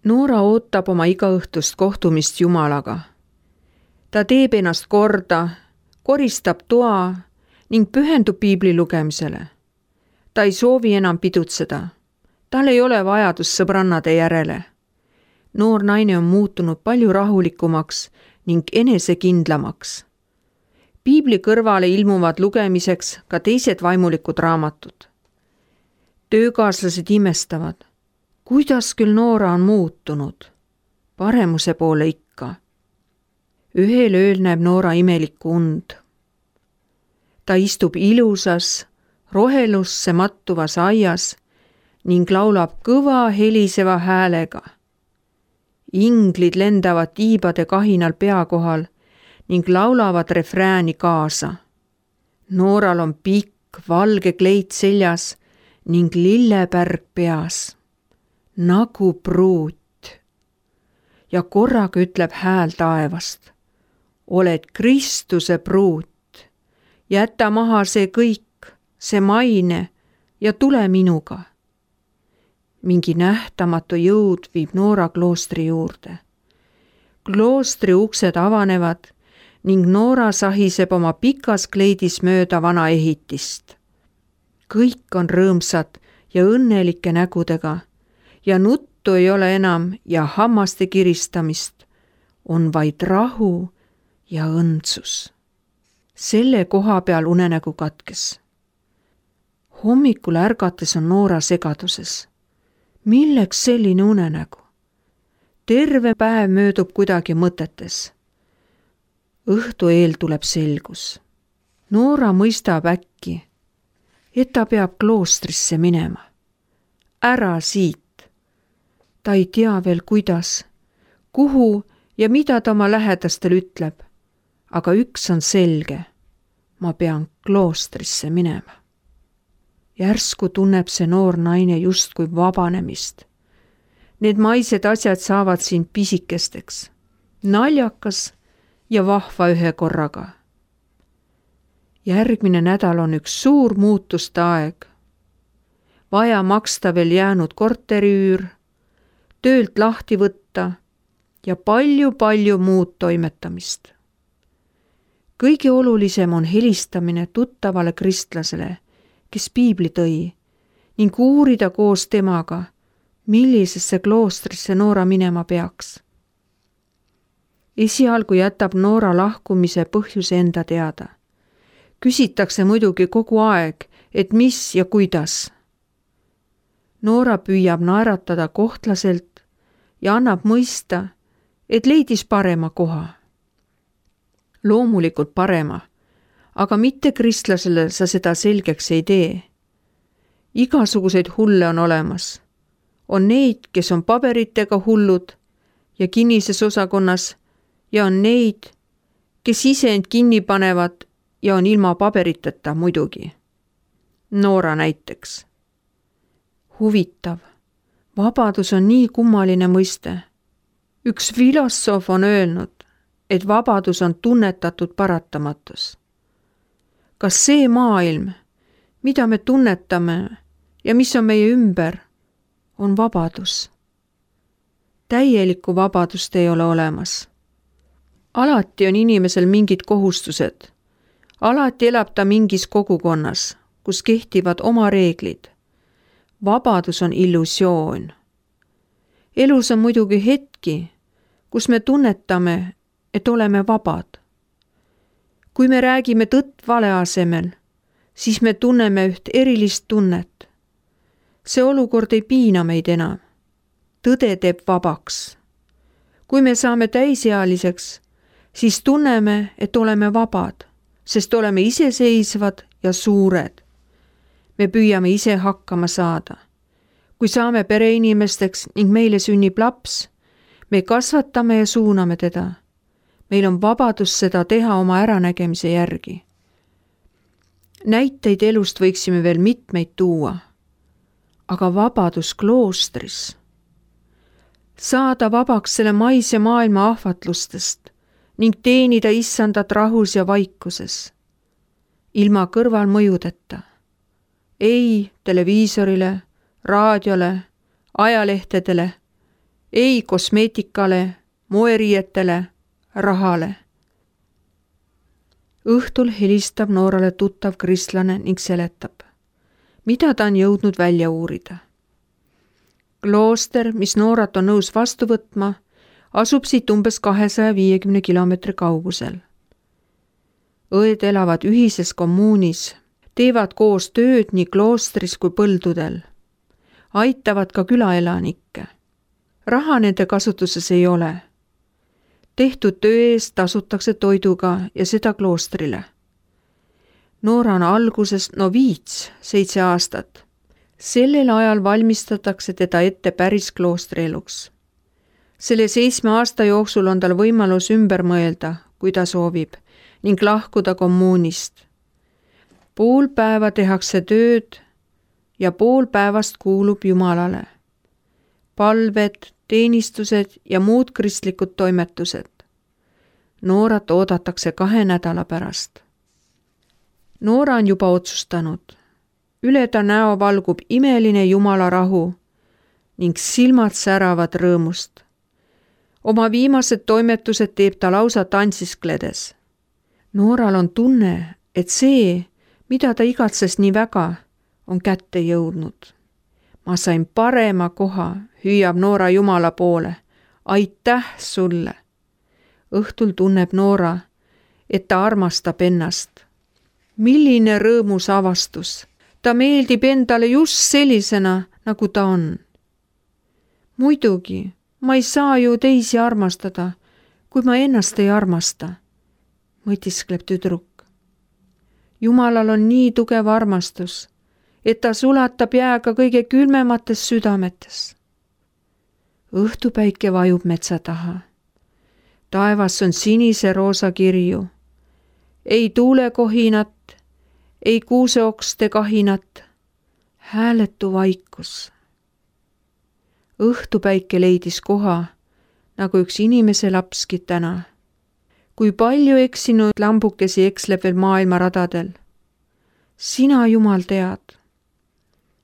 Noora ootab oma igaõhtust kohtumist Jumalaga. Ta teeb ennast korda, koristab toa ning pühendub piibli lugemisele. Ta ei soovi enam pidutseda. Tal ei ole vajadust sõbrannade järele. Noor naine on muutunud palju rahulikumaks ning enesekindlamaks. Piibli kõrvale ilmuvad lugemiseks ka teised vaimulikud raamatud. Töökaaslased imestavad, kuidas küll Noora on muutunud. Paremuse poole ikka. Ühel ööl näeb Noora imelikku und. Ta istub ilusas, rohelusse mattuvas aias ning laulab kõva heliseva häälega. Inglid lendavad tiibade kahinal pea kohal ning laulavad refrääni kaasa. Nooral on pikk valge kleit seljas ning lillepärg peas, nagu pruut. Ja korraga ütleb hääl taevast, oled Kristuse pruut, jäta maha see kõik, see maine ja tule minuga. Mingi nähtamatu jõud viib Noora kloostri juurde. Kloostri uksed avanevad ning Noora sahiseb oma pikas kleidis mööda vana ehitist. Kõik on rõõmsad ja õnnelike nägudega ja nuttu ei ole enam ja hammaste kiristamist, on vaid rahu ja õndsus. Selle koha peal unenägu katkes. Hommikul ärgates on Noora segaduses. Milleks selline unenägu? Terve päev möödub kuidagi mõtetes. Õhtu eel tuleb selgus. Noora mõistab äkki, et ta peab kloostrisse minema. Ära siit. Ta ei tea veel kuidas, kuhu ja mida ta oma lähedastel ütleb, aga üks on selge. Ma pean kloostrisse minema. Järsku tunneb see noor naine justkui vabanemist. Need maised asjad saavad siin pisikesteks, naljakas ja vahva ühe korraga. Järgmine nädal on üks suur muutuste aeg. Vaja maksta veel jäänud korteriüür, töölt lahti võtta ja palju muud toimetamist. Kõige olulisem on helistamine tuttavale kristlasele, kes piibli tõi, ning uurida koos temaga, millisesse kloostrisse Noora minema peaks. Esialgu jätab Noora lahkumise põhjuse enda teada. Küsitakse muidugi kogu aeg, et mis ja kuidas. Noora püüab naeratada kohtlaselt ja annab mõista, et leidis parema koha. Loomulikult parema, aga mitte kristlasele sa seda selgeks ei tee. Igasuguseid hulle on olemas. On neid, kes on paberitega hullud ja kinnises osakonnas, ja on neid, kes ise end kinni panevad ja on ilma paberiteta muidugi. Noora näiteks. Huvitav, vabadus on nii kummaline mõiste. Üks filosoof on öelnud, et vabadus on tunnetatud paratamatus. Kas see maailm, mida me tunnetame ja mis on meie ümber, on vabadus? Täielikku vabadust ei ole olemas. Alati on inimesel mingid kohustused. Alati elab ta mingis kogukonnas, kus kehtivad oma reeglid. Vabadus on illusioon. Elus on muidugi hetki, kus me tunnetame, et oleme vabad. Kui me räägime tõtt vale asemel, siis me tunneme üht erilist tunnet. See olukord ei piina meid enam. Tõde teeb vabaks. Kui me saame täisealiseks, siis tunneme, et oleme vabad, sest oleme iseseisvad ja suured. Me püüame ise hakkama saada. Kui saame pereinimesteks ning meile sünnib laps, me kasvatame ja suuname teda. Meil on vabadus seda teha oma äranägemise järgi. Näiteid elust võiksime veel mitmeid tuua. Aga vabadus kloostris. Saada vabaks selle maise maailma ahvatlustest ning teenida issandat rahus ja vaikuses. Ilma kõrvalmõjudeta. Ei televiisorile, raadiole, ajalehtedele ei kosmeetikale, moeriietele, rahale. Õhtul helistab Noorale tuttav kristlane ning seletab, mida ta on jõudnud välja uurida. Klooster, mis Noorat on nõus vastu võtma, asub siit umbes 250 kilomeetri kaugusel. Õed elavad ühises kommuunis, teevad koos tööd nii kloostris kui põldudel, aitavad ka külaelanikke. Raha nende kasutuses ei ole. Tehtud töö eest tasutakse toiduga ja seda kloostrile. Noora on alguses noviits 7 aastat. Sellel ajal valmistatakse teda ette päris kloostrieluks. Selle 7 aasta jooksul on tal võimalus ümber mõelda, kui ta soovib, ning lahkuda kommuunist. Pool päeva tehakse tööd ja pool päevast kuulub Jumalale. Palved, teenistused ja muud kristlikud toimetused. Noorat oodatakse 2 nädala pärast. Noora on juba otsustanud. Üle ta näo valgub imeline Jumala rahu ning silmad säravad rõõmust. Oma viimased toimetused teeb ta lausa tantsiskledes. Nooral on tunne, et see, mida ta igatses nii väga, on kätte jõudnud. Ma sain parema koha, hüüab Noora Jumala poole. Aitäh sulle! Õhtul tunneb Noora, et ta armastab ennast. Milline rõõmus avastus! Ta meeldib endale just sellisena, nagu ta on. Muidugi, ma ei saa ju teisi armastada, kui ma ennast ei armasta, mõtiskleb tüdruk. Jumalal on nii tugev armastus, et ta sulatab jääga kõige külmemates südametes. Õhtupäike vajub metsa taha. Taevas on sinise roosa kirju. Ei tuulekohinat, ei kuuseokste kahinat, hääletu vaikus. Õhtupäike leidis koha, nagu üks inimese lapski täna. Kui palju eksinud lambukesi eksleb veel maailma radadel. Sina, Jumal, tead.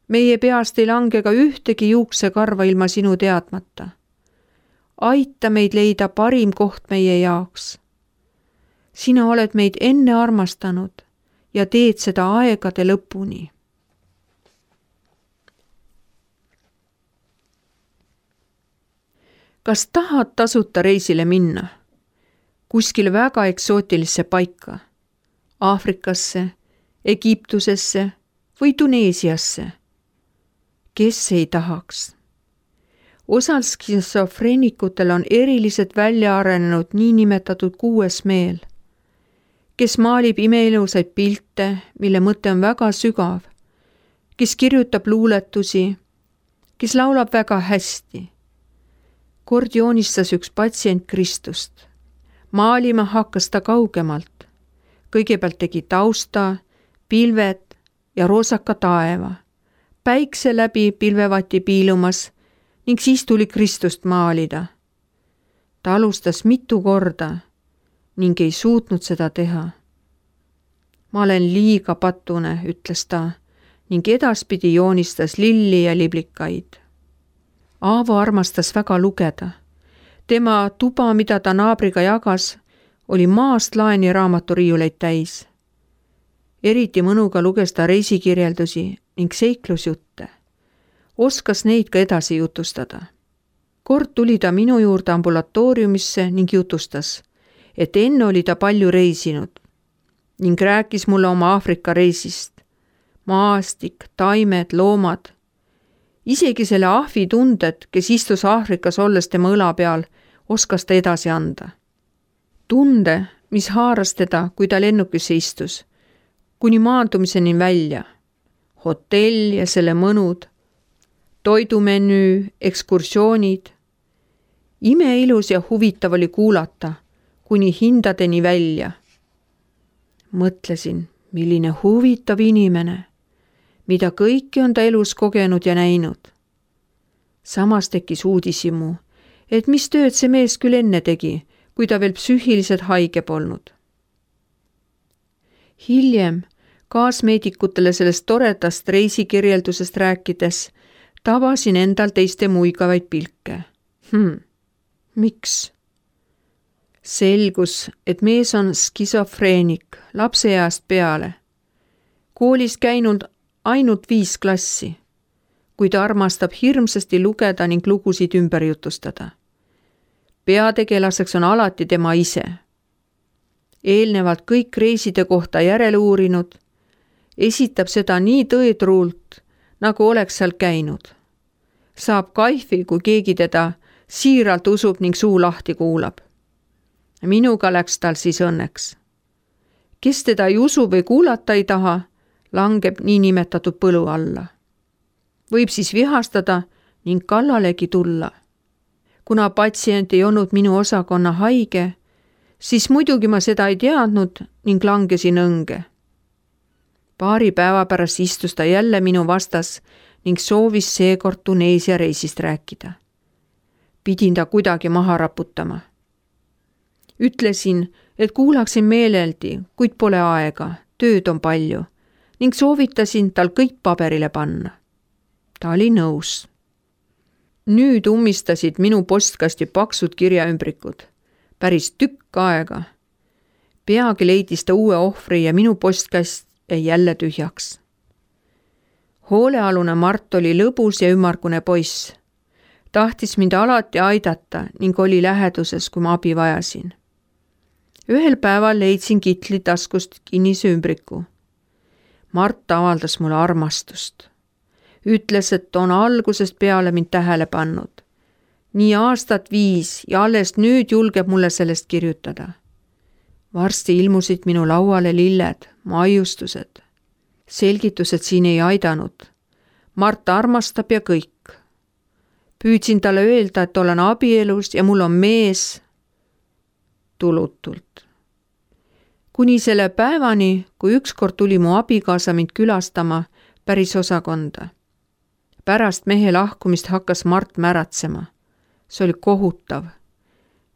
Meie peast ei lange ka ühtegi juuksekarva ilma sinu teadmata. Aita meid leida parim koht meie jaoks. Sina oled meid enne armastanud ja teed seda aegade lõpuni. Kas tahad tasuta reisile minna? Kuskil väga eksootilisse paika, Aafrikasse, Egiptusesse või Tuneesiasse? Kes ei tahaks? Osal skisofreenikutel on eriliselt välja arenenud niinimetatud 6. meel, kes maalib imeilusaid pilte, mille mõte on väga sügav, kes kirjutab luuletusi, kes laulab väga hästi. Kord joonistas üks patsient Kristust. Maalima hakkas ta kaugemalt. Kõigepealt tegi tausta, pilved ja roosaka taeva. Päikse läbi pilvevati piilumas ning siis tuli Kristust maalida. Ta alustas mitu korda ning ei suutnud seda teha. Ma olen liiga patune, ütles ta, ning edaspidi joonistas lilli ja liblikaid. Aavo armastas väga lugeda. Tema tuba, mida ta naabriga jagas, oli maast laeni raamaturiiuleid täis. Eriti mõnuga luges ta reisikirjeldusi ning seiklusjutte. Oskas neid ka edasi jutustada. Kord tuli ta minu juurde ambulatooriumisse ning jutustas, et enne oli ta palju reisinud ning rääkis mulle oma Aafrika reisist. Maastik, taimed, loomad. Isegi selle ahvi tunded, kes istus Aafrikas olles tema õla peal, oskas ta edasi anda. Tunde, mis haaras teda, kui ta lennukisse istus, kuni maandumiseni välja. Hotell ja selle mõnud, toidumenüü, ekskursioonid. Imeilus ja huvitav oli kuulata, kuni hindadeni välja. Mõtlesin, milline huvitav inimene, mida kõike on ta elus kogenud ja näinud. Samas tekkis uudishimu, et mis tööd see mees küll enne tegi, kui ta veel psüühiliselt haige polnud. Hiljem, kaasmeedikutele sellest toredast reisikirjeldusest rääkides, tabasin endal teiste muigavaid pilke. Miks? Selgus, et mees on skisofreenik lapseeast peale. Koolis käinud ainult 5 klassi, kuid armastab hirmsasti lugeda ning lugusid ümber jutustada. Peategelaseks on alati tema ise. Eelnevalt kõik reiside kohta järele uurinud, esitab seda nii tõetruult, nagu oleks seal käinud. Saab kaifi, kui keegi teda siiralt usub ning suu lahti kuulab. Minuga läks tal siis õnneks. Kes teda ei usu või kuulata ei taha, langeb niinimetatud põlu alla. Võib siis vihastada ning kallalegi tulla. Kuna patsient ei olnud minu osakonna haige, siis muidugi ma seda ei teadnud ning langesin õnge. Paari päeva pärast istus ta jälle minu vastas ning soovis seekord Tuneesia reisist rääkida. Pidin ta kuidagi maha raputama. Ütlesin, et kuulaksin meeleldi, kuid pole aega, tööd on palju ning soovitasin tal kõik paberile panna. Ta oli nõus. Nüüd ummistasid minu postkasti paksud kirjaümbrikud. Päris tükk aega. Peagi leidis ta uue ohvri ja minu postkast jäi jälle tühjaks. Hoolealune Mart oli lõbus ja ümmargune poiss. Tahtis mind alati aidata ning oli läheduses, kui ma abi vajasin. Ühel päeval leidsin kitli taskust kinnise ümbriku. Mart avaldas mulle armastust. Ütles, et on algusest peale mind tähele pannud. Nii aastat 5 ja alles nüüd julgeb mulle sellest kirjutada. Varsti ilmusid minu lauale lilled, maiustused. Selgitused siin ei aidanud. Mart armastab ja kõik. Püüdsin talle öelda, et olen abielus ja mul on mees. Tulutult. Kuni selle päevani, kui ükskord tuli mu abikaasa mind külastama päris osakonda. Pärast mehe lahkumist hakkas Mart märatsema. See oli kohutav.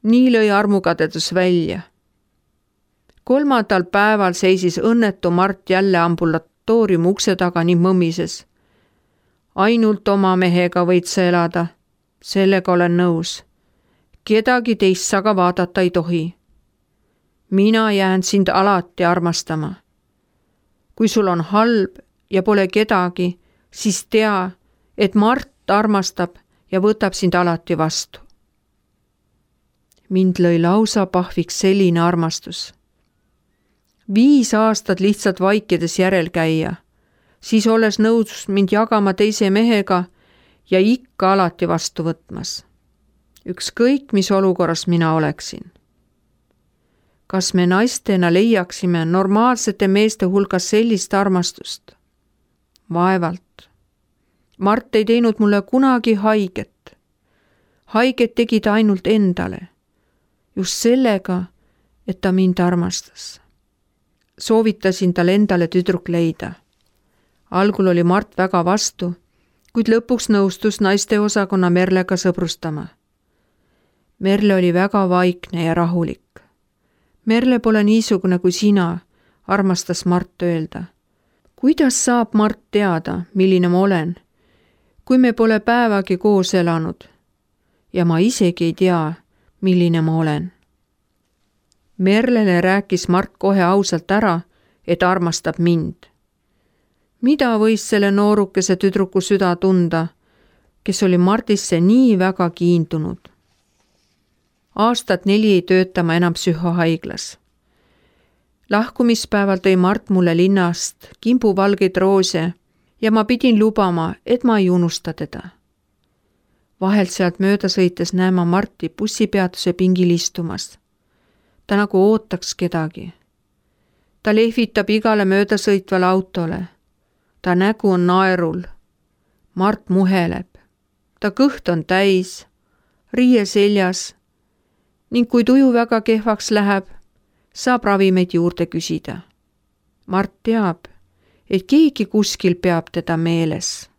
Nii lõi armukadedus välja. 3. päeval seisis õnnetu Mart jälle ambulatooriumi ukse taga ning mõmises. Ainult oma mehega võid sa elada. Sellega olen nõus. Kedagi teist sa ka vaadata ei tohi. Mina jään sind alati armastama. Kui sul on halb ja pole kedagi, siis tea, et Mart armastab ja võtab sind alati vastu. Mind lõi lausa pahviks selline armastus. 5 aastat lihtsalt vaikides järel käia, siis olles nõus mind jagama teise mehega ja ikka alati vastu võtmas. Ükskõik, mis olukorras mina oleksin. Kas me naistena leiaksime normaalsete meeste hulgas sellist armastust? Vaevalt. Mart ei teinud mulle kunagi haiget. Haiget tegi ta ainult endale. Just sellega, et ta mind armastas. Soovitasin tal endale tüdruk leida. Algul oli Mart väga vastu, kuid lõpuks nõustus naiste osakonna Merlega sõbrustama. Merle oli väga vaikne ja rahulik. Merle pole niisugune kui sina, armastas Mart öelda. Kuidas saab Mart teada, milline ma olen, kui me pole päevagi koos elanud ja ma isegi ei tea, milline ma olen. Merlele rääkis Mart kohe ausalt ära, et armastab mind. Mida võis selle noorukese tüdruku süda tunda, kes oli Mardisse nii väga kiindunud? Aastat 4 ei tööta ma enam psühhohaiglas. Lahkumispäeval tõi Mart mulle linnast kimbuvalgeid roose ja ma pidin lubama, et ma ei unusta teda. Vahelt sealt mööda sõites näen ma Marti bussipeatuse pingil istumas. Ta nagu ootaks kedagi. Ta lehvitab igale möödasõitvale autole. Ta nägu on naerul. Mart muheleb. Ta kõht on täis, riie seljas ning kui tuju väga kehvaks läheb, saab ravimeid juurde küsida. Mart teab, et keegi kuskil peab teda meeles.